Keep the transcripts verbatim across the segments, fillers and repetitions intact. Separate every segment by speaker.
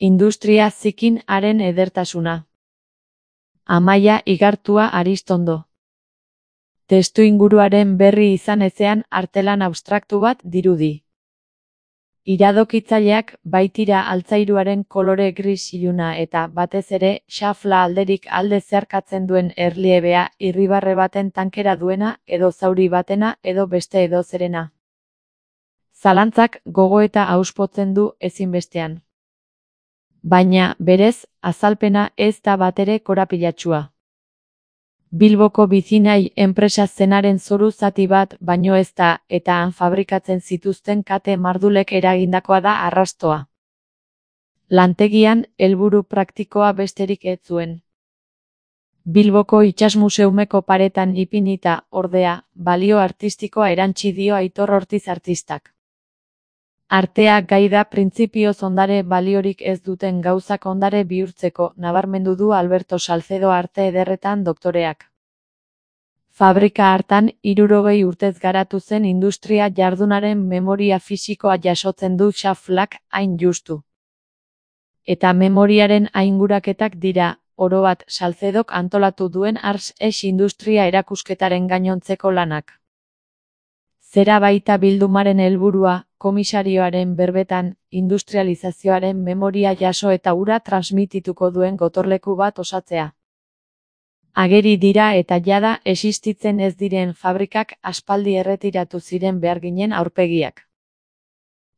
Speaker 1: Industria zikin haren edertasuna. Amaia Igartua Aristondo. Testuinguruaren berri izan ezean artelan abstraktu bat dirudi. Iradokitzaileak baitira altzairuaren kolore gris iluna eta batez ere xafla alderik alde zeharkatzen duen erliebea irribarre baten tankera duena edo zauri batena edo beste edo zerena. Zalantzak gogoeta auspotzen du ezinbestean. Baina, berez, azalpena ez da batere korapilatsua. Bilboko Bizinai enpresa zenaren zoru zati bat baino ez da, eta han fabrikatzen zituzten kate mardulek eragindakoa da arrastoa. Lantegian, helburu praktikoa besterik ez zuen. Bilboko Itsasmuseumeko paretan ipinita, ordea, balio artistikoa erantsi dio Aitor Ortiz artistak. Artea gai da printzipioz ondare baliorik ez duten gauzak ondare bihurtzeko, nabarmendu du Alberto Salcedo arte ederretan doktoreak. Fabrika hartan hirurogei urtez garatu zen industria jardunaren memoria fisikoa jasotzen du xaflak hain justu. Eta memoriaren ainguraketak dira, orobat Salcedok antolatu duen Ars es Industria erakusketaren gainontzeko lanak. Zera baita bildumaren helburua, komisarioaren berbetan, industrializazioaren memoria jaso eta hura transmitituko duen gotorleku bat osatzea. Ageri dira eta jada existitzen ez diren fabrikak aspaldi erretiratu ziren beharginen aurpegiak.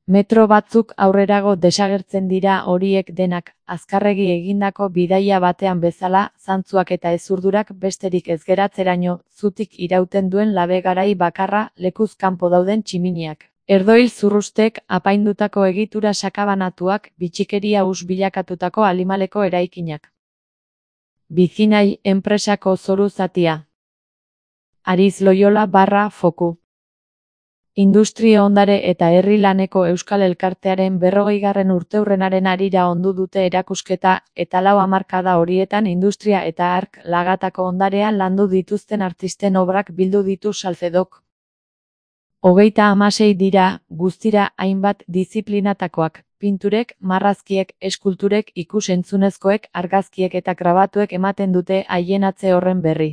Speaker 1: Metro batzuk aurrerago desagertzen dira horiek denak, azkarregi egindako bidaia batean bezala, zantzuak eta ezurdurak besterik ez geratzeraino, zutik irauten duen labe garai bakarra lekuz kanpo dauden tximiniak. Erdoil zurrustek apaindutako egitura sakabanatuak, bitxikeria us bilakatutako alimaleko eraikinak. Bizinai enpresako zoru zatia. Ariz Loyola barra foku. Industria ondare eta herri laneko Euskal Elkartearen berrogeigarren urteurrenaren harira ondu dute erakusketa eta lau hamarkada horietan industria eta ark lagatako ondarea landu dituzten artisten obrak bildu ditu Salcedok. Hogeita hamasei dira, guztira hainbat diziplinatakoak, pinturek, marrazkiek, eskulturek, ikus-entzunezkoek, argazkiek eta grabatuek ematen dute haien atze horren berri.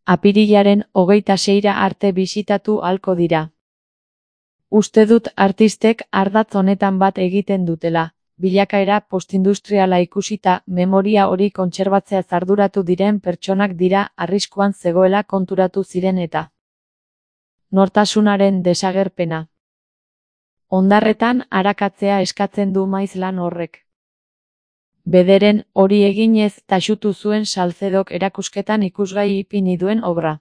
Speaker 1: Apirilaren hogeita seira arte bisitatu halko dira. Uste dut artistek ardatz honetan bat egiten dutela, bilakaera postindustriala ikusita memoria hori kontserbatzea arduratu diren pertsonak dira arriskuan zegoela konturatu ziren eta nortasunaren desagerpena. Hondarretan arakatzea eskatzen du maiz lan horrek. Bederen hori eginez taxutu zuen Salcedok erakusketan ikusgai ipini duen obra.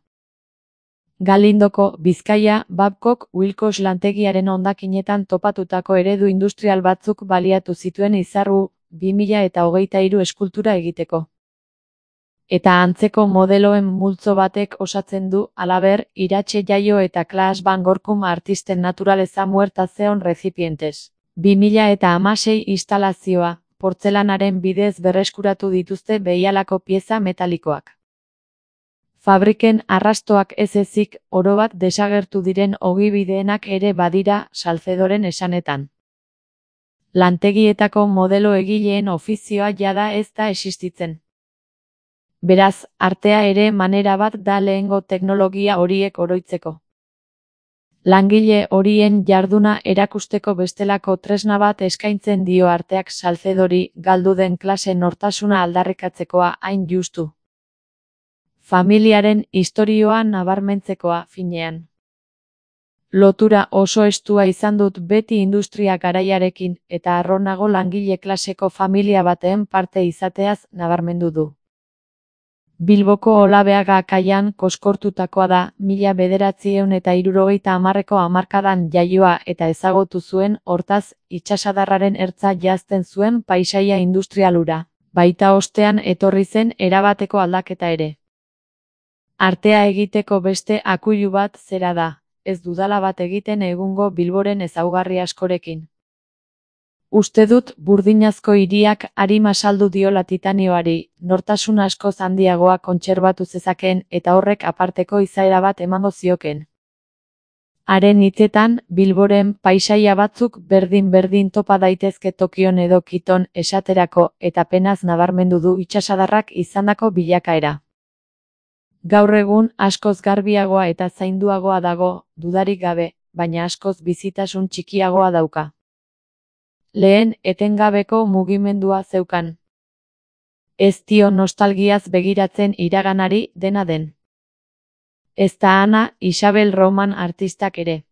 Speaker 1: Galindoko, Bizkaia, Babcock Wilcox lantegiaren hondakinetan topatutako eredu industrial batzuk baliatu zituen izarru, bi mila eta hogeita hiru eskultura egiteko. Eta antzeko modeloen multzo batek osatzen du, halaber, Iratxe Jaio eta Klaas van Gorkum artisten naturaleza muertazeon recipientes. bi mila eta hamasei instalazioa, portzelanaren bidez berreskuratu dituzte behialako pieza metalikoak. Fabriken arrastoak ez ezik, orobat desagertu diren ogibideenak ere badira Salcedoren esanetan. Lantegietako modelo egileen ofizioa jada ez da existitzen. Beraz, artea ere manera bat da lehengo teknologia horiek oroitzeko. Langile horien jarduna erakusteko bestelako tresna bat eskaintzen dio arteak Salcedori galdu den klase nortasuna aldarrikatzekoa hain justu. Familiaren istorioa nabarmentzekoa finean. Lotura oso estua izan dut beti industria garaiarekin eta harronago langile klaseko familia baten parte izateaz nabarmendu du. Bilboko Olabeaga kaian koskortutakoa da, mila bederatziehun eta hirurogeita hamarreko hamarkadan jaioa eta ezagutu zuen, hortaz, itsasadarraren ertza jazten zuen paisaia industrialura, baita ostean etorri zen erabateko aldaketa ere. Artea egiteko beste akuilu bat zera da, ez dudala bat egiten egungo Bilboren ezaugarri askorekin. Uste dut burdinazko hiriak arima saldu diola titanioari, nortasun askoz handiagoa kontserbatu zezakeen eta horrek aparteko izaera bat emango zioken. Haren hitzetan, Bilboren paisaia batzuk berdin-berdin topa daitezke Tokion edo Kiton esaterako, eta penaz nabarmendu du itsasadarrak izandako bilakaera. Gaur egun askoz garbiagoa eta zainduagoa dago, dudarik gabe, baina askoz bizitasun txikiagoa dauka. Lehen, etengabeko mugimendua zeukan. Ez dio nostalgiaz begiratzen iraganari, dena den. Ezta Ana Isabel Roman artistak ere.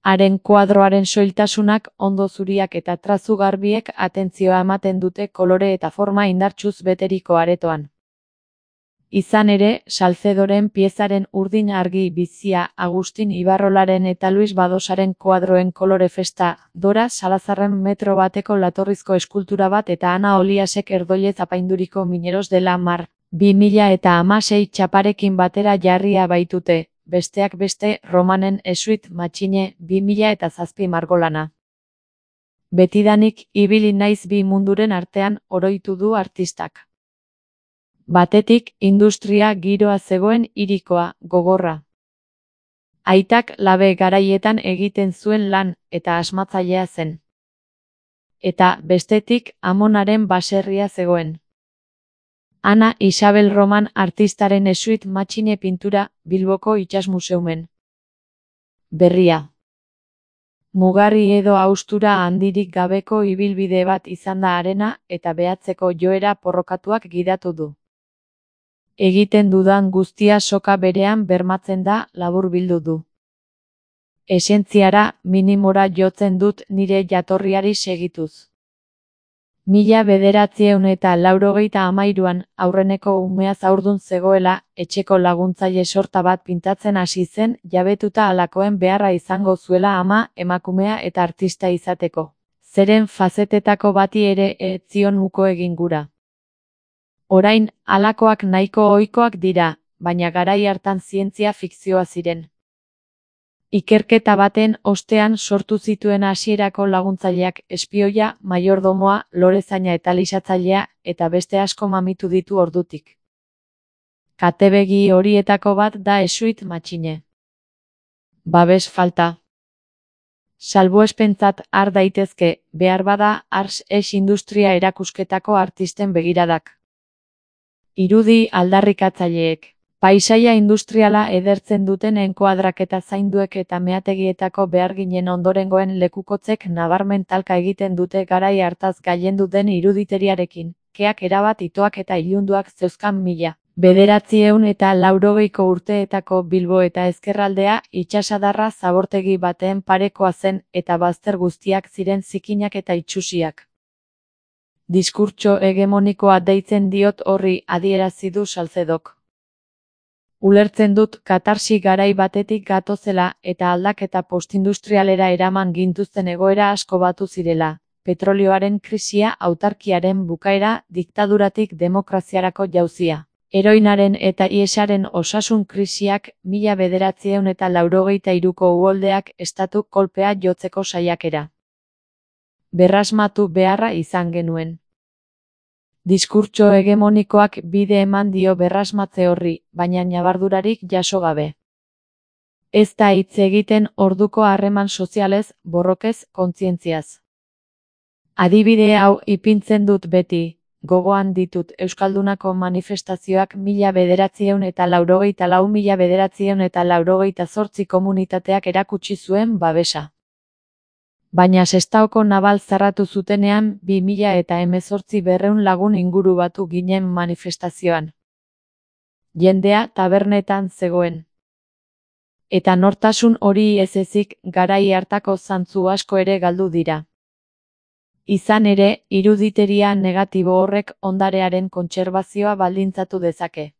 Speaker 1: Haren kuadroaren soiltasunak, ondo zuriak eta trazu garbiek atentzioa ematen dute kolore eta forma indartsuz beteriko aretoan. Izan ere, Salcedoren piezaren urdin argi bizia, Agustin Ibarrolaren eta Luis Badosaren kuadroen kolore festa, Dora Salazarren metro bateko latorrizko eskultura bat eta Ana Oliasek erdoilez apainduriko Mineros de la Mar, bi mila eta hamasei txaparekin batera jarria baitute, besteak beste Romanen Esuit Matxine, bi mila eta zazpi margolana. Betidanik ibili naiz bi munduren artean, oroitu du artistak. Batetik, industria giroa zegoen hirikoa, gogorra. Aitak labe garaietan egiten zuen lan, eta asmatzailea zen. Eta, bestetik, Amonaren baserria zegoen. Ana Isabel Roman artistaren Esuit Matxine pintura, Bilboko Itsas Museumen. Berria. Mugarri edo haustura handirik gabeko ibilbide bat izan da harena, eta behatzeko joera porrokatuak gidatu du. Egiten dudan guztia soka berean bermatzen da, laburbildu du. Esentziara, minimora jotzen dut nire jatorriari segituz. Mila bederatziehun eta laurogeita hamairuan, aurreneko umeaz haurdun zegoela, etxeko laguntzaile sorta bat pintatzen hasi zen, jabetuta halakoen beharra izango zuela ama, emakumea eta artista izateko. Zeren fazetetako bati ere ez zion uko egin gura. Orain, halakoak nahiko ohikoak dira, baina garai hartan zientzia fikzioa ziren. Ikerketa baten ostean sortu zituen hasierako laguntzaileak espioia, maiordomoa, lorezaina eta lisatzailea, eta beste asko mamitu ditu ordutik. Katebegi horietako bat da Esuit Matxine. Babes falta. Salbuespentzat har daitezke, behar bada ars es industria erakusketako artisten begiradak. Irudi aldarrikatzaileek. Paisaia industriala edertzen duten enkuadraketa zainduek eta meategietako beharginen ondorengoen lekukotzek nabarmen talka egiten dute garai hartaz gailendu den iruditeriarekin, keak erabat itoak eta ilunduak zeuzkan mila. Bederatziehun eta laurogeiko urteetako Bilbo eta ezkerraldea itsasadarra zabortegi baten parekoa zen eta bazter guztiak ziren zikinak eta itsusiak. Diskurtso hegemonikoa deitzen diot horri, adierazi du Salcedok. Ulertzen dut katarsi garai batetik gatozela eta aldaketa postindustrialera eraman gintuzten egoera asko batu zirela, petrolioaren krisia, autarkiaren bukaera, diktaduratik demokraziarako jauzia. Heroinaren eta iesaren osasun krisiak, mila bederatziehun eta laurogeita hiruko uholdeak estatu kolpea jotzeko saiakera. Berrasmatu beharra izan genuen. Diskurtso hegemonikoak bide eman dio berrasmatze horri, baina ñabardurarik jaso gabe. Ez da hitz egiten orduko harreman sozialez, borrokez, kontzientziaz. Adibide hau ipintzen dut beti, gogoan ditut Euskaldunako manifestazioak mila bederatziehun eta laurogeita lau mila bederatziehun eta laurogeita zortzi komunitateak erakutsi zuen babesa. Baina Sestaoko nabal zarratu zutenean bi mila eta hemezortzi berrehun lagun inguru batu ginen manifestazioan. Jendea tabernetan zegoen. Eta nortasun hori ez ezik garai hartako zantzu asko ere galdu dira. Izan ere, iruditeria negatibo horrek ondarearen kontserbazioa baldintzatu dezake.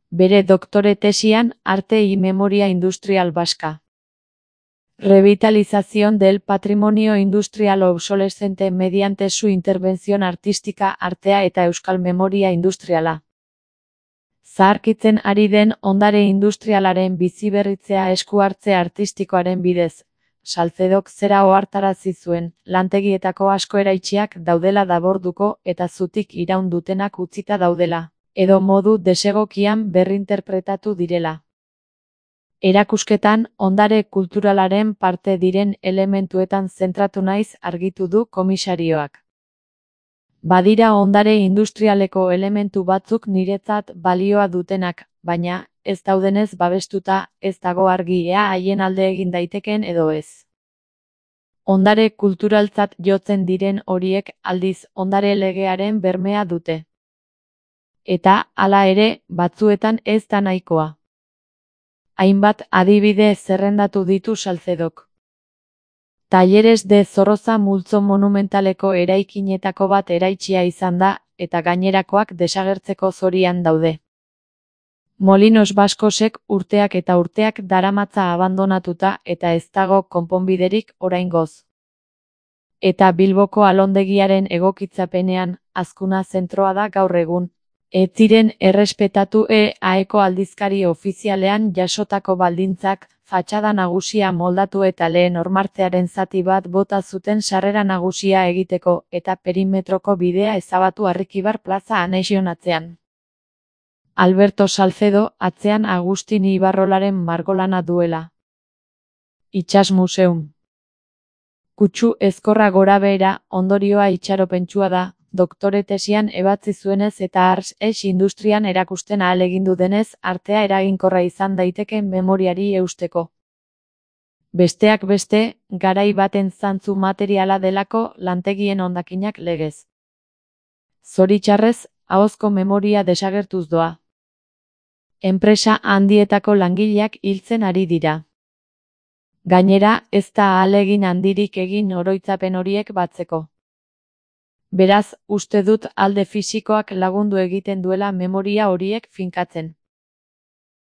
Speaker 1: Bere doktore tesian, Arte y Memoria Industrial Vasca. Revitalización del patrimonio industrial obsolescente mediante su intervención artística, artea eta euskal memoria industriala. Zaharkitzen ari den ondare industrialaren biziberritzea esku hartze artistikoaren bidez. Salcedok zera ohartarazi zuen, lantegietako asko eraitsiak daudela daborduko eta zutik iraun dutenak utzita daudela, edo modu desegokian berrinterpretatu direla. Erakusketan, ondare kulturalaren parte diren elementuetan zentratu naiz argitu du komisarioak. Badira ondare industrialeko elementu batzuk niretzat balioa dutenak, baina, ez daudenez babestuta, ez dago argi ea haien alde egin daiteken edo ez. Ondare kulturaltzat jotzen diren horiek aldiz ondare legearen bermea dute. Eta, hala ere, batzuetan ez da nahikoa. Hainbat adibide zerrendatu ditu Salcedok. Talleres de Zorroza multzo monumentaleko eraikinetako bat eraitsia izan da, eta gainerakoak desagertzeko zorian daude. Molinos Baskosek urteak eta urteak daramatza abandonatuta eta ez dago konponbiderik oraingoz. Eta Bilboko alondegiaren egokitzapenean, Azkuna zentroa da gaur egun. Ez ziren errespetatu E A Eko aldizkari ofizialean jasotako baldintzak, fatxada nagusia moldatu eta lehen hormartzearen zati bat bota zuten sarrera nagusia egiteko, eta perimetroko bidea ezabatu Arrikibar plaza anexionatzean. Alberto Salcedo, atzean Agustin Ibarrolaren margolana duela. Itsas Museum. Kutsu ezkorra gorabehera, ondorioa itxaropentsua da, doktore tesian ebatzi zuenez eta ars es industrian erakusten ahalegindu denez artea eraginkorra izan daiteken memoriari eusteko. Besteak beste, garai baten zantzu materiala delako lantegien hondakinak legez. Zoritxarrez, ahozko memoria desagertuz doa. Enpresa handietako langileak hiltzen ari dira. Gainera, ez da ahalegin handirik egin oroitzapen horiek batzeko. Beraz, uste dut alde fisikoak lagundu egiten duela memoria horiek finkatzen.